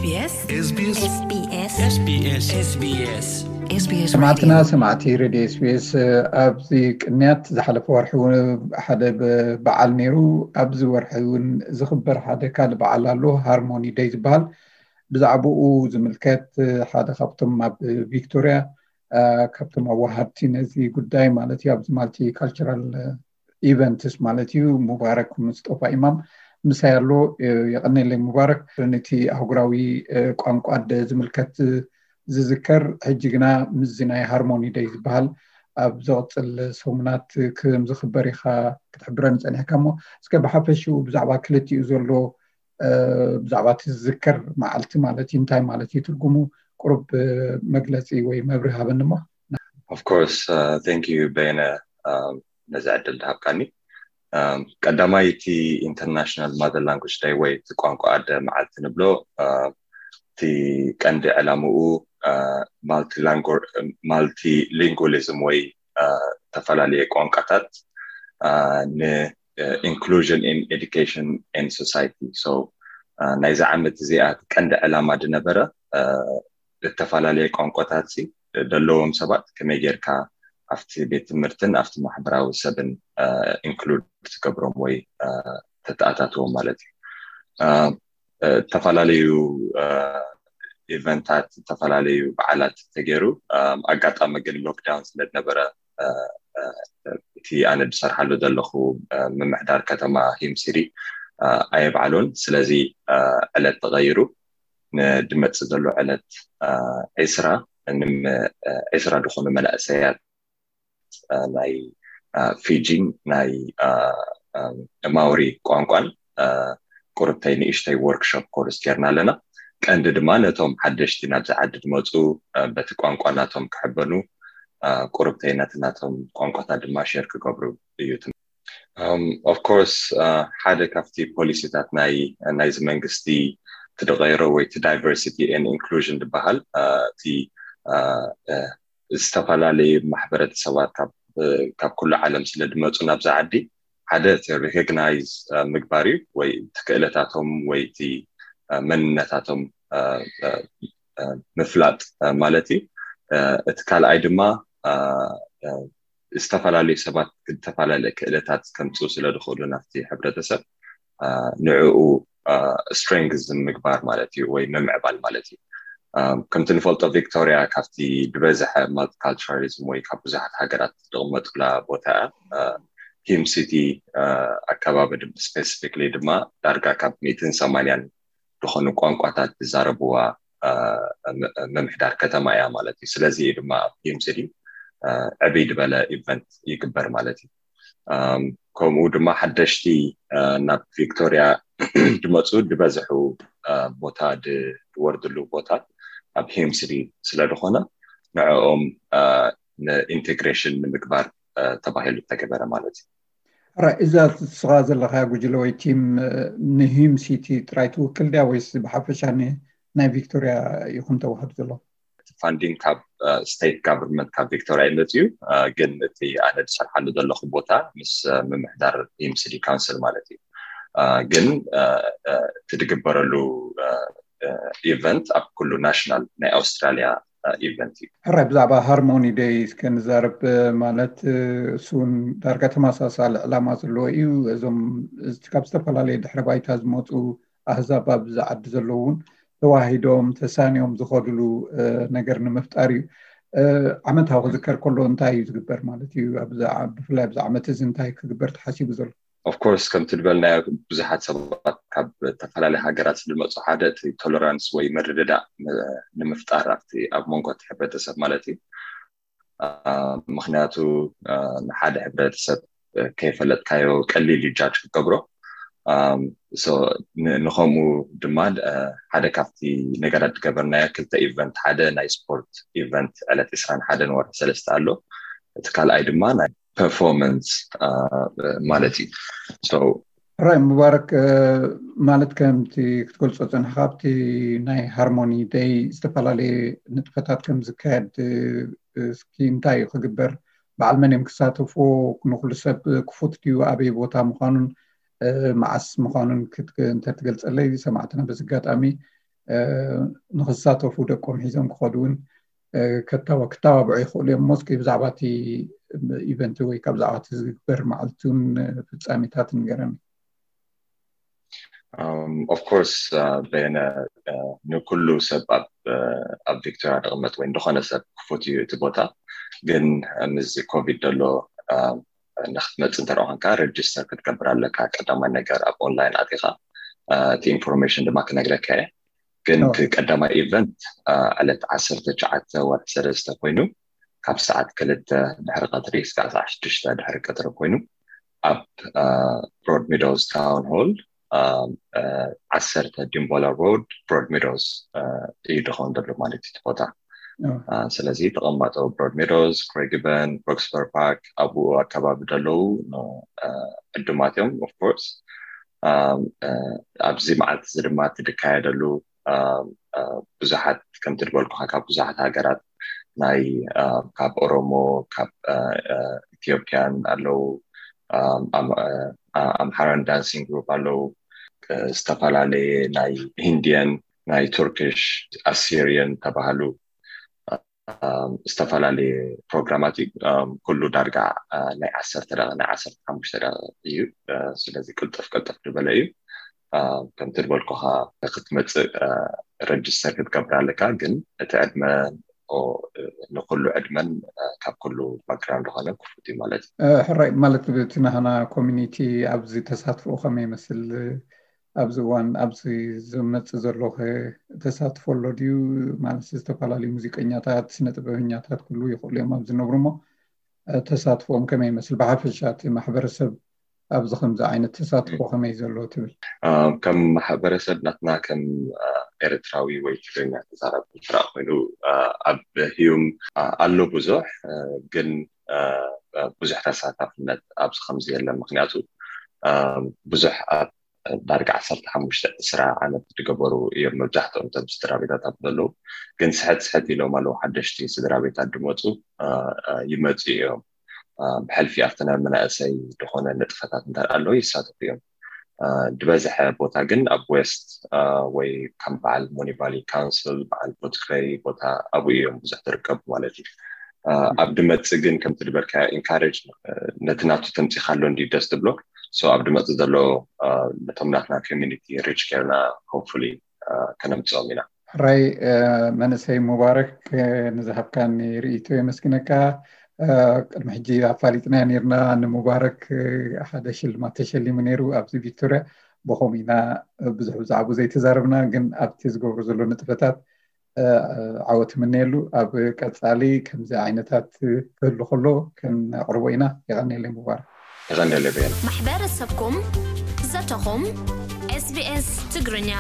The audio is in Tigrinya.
SBS SBS SBS SBS SBS SBS ሰማዕትና ሰማዕቲ ሬድዮ ኤስቢኤስ፣ ኣብዚ ቅንያት ዝሓለፈ ወርሒ እውን ሓደ በዓል ነይሩ። ኣብዚ ወርሒ እውን ዝኽበር ሓደ ካልእ በዓል ኣሎ፣ ሃርሞኒ ደይ ዝበሃል። ብዛዕባኡ ዝምልከት ሓደ ካብቶም ኣብ ቪክቶሪያ ካብቶም ኣዋሃድቲ ነዚ ጉዳይ ማለት እዩ፣ ኣብዚ ማልቲ ካልቸራል ኢቨንትስ ማለት እዩ፣ ሙባረክ ሙስጠፋ ኢማም ምሳይ ኣሎ። የቐኔለይ ሙባረክ፣ ነቲ ኣህጉራዊ ቋንቋ ኣደ ዝምልከት ዝዝከር፣ ሕጂ ግና ምስዚ ናይ ሃርሞኒ ደይ ዝበሃል ኣብ ዝቕፅል ሰሙናት ከም ዝኽበር ኢኻ ክትሕብረኒ ፀኒሕካ እሞ፣ እስከ ብሓፈሽኡ ብዛዕባ ክልቲኡ ዘሎ ብዛዕባ እቲ ዝዝከር መዓልቲ ማለት እዩ እንታይ ማለት እዩ ትርጉሙ፣ ቁሩብ መግለፂ ወይ መብርሂ ሃበኒ እሞ። Of course, thank you በየነ ነዚ ዕድል ዝሃብካኒ። ቀዳማይ እቲ ኢንተርናሽናል ማዘር ላንጉጅ ደይ ወይ እቲ ቋንቋ ኣደ መዓልቲ ንብሎ እቲ ቀንዲ ዕላምኡ ማልቲሊንጉሊዝም ወይ ዝተፈላለየ ቋንቋታት ን inclusion in education and society። So ናይዚ ዓመት እዚኣ ቀንዲ ዕላማ ዝነበረ ዝተፈላለየ ቋንቋታት ዘለዎም ሰባት ከመይ ጌርካ ኣብቲ ቤት ትምህርትን ኣብቲ ማሕበራዊ ሰብን ኢንክሉድ ትገብሮም ወይ ተተኣታትዎም ማለት እዩ። ዝተፈላለዩ ኢቨንታት፣ ዝተፈላለዩ በዓላት ተገይሩ። ኣጋጣሚ ግን ሎክዳውን ስለዝነበረ እቲ ኣነ ዝሰርሓሉ ዘለኹ ምምሕዳር ከተማ ሂምሲሪ ኣየብዓሎን። ስለዚ ዕለት ተቐይሩ ንድመፅእ ዘሎ ዕለት ዒስራ ዒስራ ዝኾኑ መናእሰያት ናይ ፊጂን ናይ ማውሪ ቋንቋን ቁርብተይ ንእሽተይ ወርክሾፕ ኮርስ ጌርና ኣለና። ቀንዲ ድማ ነቶም ሓደሽቲ ናብዚ ዓዲ ዝመፁ በቲ ቋንቋ ናቶም ክሕበኑ፣ ቁርብተይ ነቲ ናቶም ቋንቋታት ድማ ሸር ክገብሩ እዩ። Of course ሓደ ካብቲ ፖሊሲታት ናይ ናይዚ መንግስቲ ትደቀይሮ ወይ ቲ ዳይቨርሲቲ ን ኢንክሉዥን ዝበሃል እቲ ዝተፈላለዩ ማሕበረተሰባት ካብ ኩሉ ዓለም ስለ ዝመፁ ናብዚ ዓዲ ሓደ እቲ ሪኮግናይዝ ምግባር እዩ ወይ እቲ ክእለታቶም ወይ እቲ መንነታቶም ምፍላጥ ማለት እዩ። እቲ ካልኣይ ድማ ዝተፈላለዩ ሰባት ዝተፈላለየ ክእለታት ከምፅኡ ስለ ዝኽእሉ ናብቲ ሕብረተሰብ ንዕኡ ስትሬንግዝ ምግባር ማለት እዩ ወይ ምምዕባል ማለት እዩ። ከምቲ ንፈልጦ ቪክቶሪያ ካብቲ ዝበዝሐ ማልቲካልቸራሊዝም ወይ ካብ ብዙሓት ሃገራት ዝቕመጡላ ቦታ እያ። ሂም ሲቲ ኣከባቢ ስፔሲፊክሊ ድማ ዳርጋ ካብ ሚእትን ሰማንያን ዝኾኑ ቋንቋታት ዝዛረብዋ ምምሕዳር ከተማ እያ ማለት እዩ። ስለዚ እዩ ድማ ኣብ ሂም ሲቲ ዕብይ ዝበለ ኢቨንት ይግበር ማለት እዩ። ከምኡ ድማ ሓደሽቲ ናብ ቪክቶሪያ ዝመፁ ዝበዝሑ ቦታ ዝወርድሉ ቦታ ኣብ ሂም ሲቲ ስለዝኾነ ንዕኦም ንኢንቴግሬሽን ንምግባር ተባሂሉ ዝተገበረ ማለት እዩ። ሕራይ፣ እዛ ንስኻ ዘለኻያ ጉጅለ ወይ ቲም ንሂም ሲቲ ጥራይ ትውክል ድያ ወይስ ብሓፈሻ ናይ ቪክቶሪያ ኢኹም ተዋህዱ ዘለኹም? ፋንዲንግ ካብ ስቴት ጋቨርንመንት ካብ ቪክቶሪያ ይመፅእ እዩ። ግን እቲ ኣነ ዝሰርሓሉ ዘለኹ ቦታ ምስ ምምሕዳር ሂም ሲቲ ካውንስል ማለት እዩ። ግን እቲ ዝግበረሉ ኢቨንት ኣብ ኩሉ ናሽናል ናይ ኣውስትራሊያ ኢቨንት እዩ። ሕራይ፣ ብዛዕባ ሃርሞኒ ደይ እስከ ንዛረብ። ማለት እሱ እውን ዳርጋ ተመሳሳሊ ዕላማ ዘለዎ እዩ። እዞም ካብ ዝተፈላለየ ድሕረ ባይታ ዝመፁ ኣህዛብ ኣብዚ ዓዲ ዘለዉ እውን ተዋሂዶም ተሳንዮም ዝኸድሉ ነገር ንምፍጣር እዩ። ዓመታዊ ክዝከር ከሎ እንታይ እዩ ዝግበር ማለት እዩ? ብፍላይ ኣብዚ ዓመት እዚ እንታይ ክግበር ተሓሲቡ ዘሎ? ኦፍኮርስ ከምቲ ዝበልናዮ ብዙሓት ሰባት ካብ ዝተፈላለዩ ሃገራት ዝመፁ ሓደ እቲ ቶለራንስ ወይ ምርድዳእ ንምፍጣር ኣብቲ ኣብ መንጎ እቲ ሕብረተሰብ ማለት እዩ። ምክንያቱ ንሓደ ሕብረተሰብ ከይፈለጥካዮ ቀሊል እዩ ጃጅ ክትገብሮ። ንከምኡ ድማ ሓደ ካብቲ ነገራት ዝገበርናዮ ክልተ ኢቨንት፣ ሓደ ናይ ስፖርት ኢቨንት ዕለት ዕስራን ሓደን ወርሒ ሰለስተ ኣሎ። እቲ ካልኣይ ድማ ናይ ፐርፎርማንስ ማለት እዩ። ራይ ሙባረክ፣ ማለት ከምቲ ክትገልፆ ፀንሕካ ኣብቲ ናይ ሃርሞኒ ደይ ዝተፈላለየ ንጥፈታት ከም ዝካየድ እስኪ እንታይ እዩ ክግበር? በዓል መን እዮም ክሳተፍዎ? ንኩሉ ሰብ ክፉት ድዩ? ኣበይ ቦታ ምዃኑን መዓስ ምዃኑን እንተትገልፀለይ ሰማዕትና በዚ ኣጋጣሚ ንክሳተፉ ደቆም ሒዞም ክኸዱ እውን ክተባብዑ ይኽእሉ እዮም። ሞስኪ ብዛዕባ እቲ ኢቨንት ወይ ካብ ብዛዕባ እቲ ዝግበር መዓልትን ፍጻሜታት ንገረኒ። Of course በየነ ንኩሉ ሰብ ኣብ ቪክቶሪያ ዝቕመጥ ወይ ዝኾነ ሰብ ክፉት እዩ እቲ ቦታ። ግን ምስዚ ኮቪድ ዘሎ ንክትመፅእ እንተ ኮንካ ረጅስተር ክትገብር ኣለካ። ቀዳማይ ነገር ኣብ ኦንላይን ኣቲኻ እቲ ኢንፎርሜሽን ድማ ክነግረካ እየ። ግን እቲ ቀዳማይ ኢቨንት ዕለት ዓሰርተ ትሽዓተ ወርሒ ሰለስተ ኮይኑ ካብ ሰዓት ክልተ ድሕሪ ቀትሪ እስካብ ሰዓት ሽዱሽተ ድሕሪ ቀትሪ ኮይኑ ኣብ ብሮድ ሚዶውስ ታውን ሆል ዓሰርተ ዲምቦላ ሮድ ብሮድ ሚዶውስ እዩ ድኸውን ዘሎ ማለት እዩ እቲ ቦታ። ስለዚ ተቐማጦ ብሮድ ሚዶውስ፣ ክሬግበን፣ ሮክስበር ፓርክ ኣብኡ ኣከባቢ ዘለዉ ዕዱማት እዮም። ኦፍኮርስ ኣብዚ መዓልቲ እዚ ድማ እቲ ዝካየደሉ ብዙሓት ከምቲ ዝበልኩኻ ካብ ብዙሓት ሃገራት ናይ ካብ ኦሮሞ ካብ ኢትዮጵያን ኣለዉ፣ ኣምሓራን ዳንሲንግ ግሩፕ ኣለዉ፣ ዝተፈላለየ ናይ ሂንዲየን ናይ ቱርኪሽ ኣሲሪየን ተባሃሉ ዝተፈላለየ ፕሮግራማት እዩ። ኩሉ ዳርጋ ናይ ዓሰርተ ደቂቕ ናይ ዓሰርተ ሓሙሽተ ደቂቕ እዩ። ስለዚ ቅልጥፍ ቅልጥፍ ዝበለ እዩ። ከምቲ ዝበልኩኻ ክትመፅእ ረጅስተር ክትገብር ኣለካ፣ ግን እቲ ዕድመ ንኩሉ ዕድመን ካብ ኩሉ ባክግራውንድ ዝኾነ ክፉት እዩ ማለት እዩ። ሕራይ ማለት እቲ ናህና ኮሚኒቲ ኣብዚ ተሳትፎ ከመይ ይመስል? ኣብዚ እዋን ኣብዚ ዝመፅእ ዘሎ ተሳትፎ ኣሎ ድዩ? ማለት ዝተፈላለዩ ሙዚቀኛታት፣ ስነ ጥበበኛታት ኩሉ ይኽእሉ እዮም ኣብዚ ዝነብሩ እሞ ተሳትፎኦም ከመይ ይመስል? ብሓፈሻ እቲ ማሕበረሰብ ኣብዚ ከምዚ ዓይነት ተሳትፎ ከመይ ዘሎ ትብል? ከም ማሕበረሰብ ናትና ከም ኤርትራዊ ወይ ትግርኛ ተዛራቢ ስራ ኮይኑ ኣብ ህዩም ኣሎ ብዙሕ ግን ብዙሕ ተሳታፍነት ኣብዚ ከምዚ የለን። ምክንያቱ ብዙሕ ኣብ ዳርጋ ዓሰርተ ሓሙሽተ ዕስራ ዓመት ዝገበሩ እዮም መብዛሕትኦም እቶም ስድራ ቤታት ኣብ ዘለዉ። ግን ስሕት ስሕት ኢሎም ኣለዉ ሓደሽቲ ስድራ ቤታት ድመፁ ይመፁ እዮም። ብሕልፊ ኣብቲ ናይ መናእሰይ ዝኾነ ንጥፈታት እንተ ኣለዉ ይሳተፉ እዮም። ዝበዝሐ ቦታ ግን ኣብ ዌስት ወይ ከም በዓል ሞኒቫሊ ካውንስል በዓል ፎትክረይ ቦታ ኣብኡ እዮም ብዙሕ ዝርከቡ ማለት እዩ። ኣብ ድመፅእ ግን ከምቲ ዝበልካ ኢንካሬጅ ነቲ ናቱ ተምፂኻሎ እንዲ ደስ ትብሎ ኣብቲ መፅእ ዘሎ ነቶም ናትና ኮሚኒቲ ሪች ጌርና ሆፕፉሊ ከነምፅኦም ኢና። ሕራይ መንእሰይ ሙባረክ ንዝሃብካኒ ርእይቶ የመስግነካ። ቅድሚ ሕጂ ኣፋሊጥናዮ ነርና ንሙባረክ ሓደ ሽልማት ተሸሊሙ ነይሩ ኣብዚ ቪክቶርያ። ብኸምኡ ኢና ብዙሕ ብዛዕባኡ ዘይተዛረብና፣ ግን ኣብቲ ዝገብሮ ዘሎ ንጥፈታት ዓወት ምነየሉ። ኣብ ቀፃሊ ከምዚ ዓይነታት ክህሉ ከሎ ከነቕርቦ ኢና። የቐንየለይ ሙባረክ። የቐንየለይ በየነ። ማሕበረሰብኩም ዘተኹም ኤስቢኤስ ትግርኛ።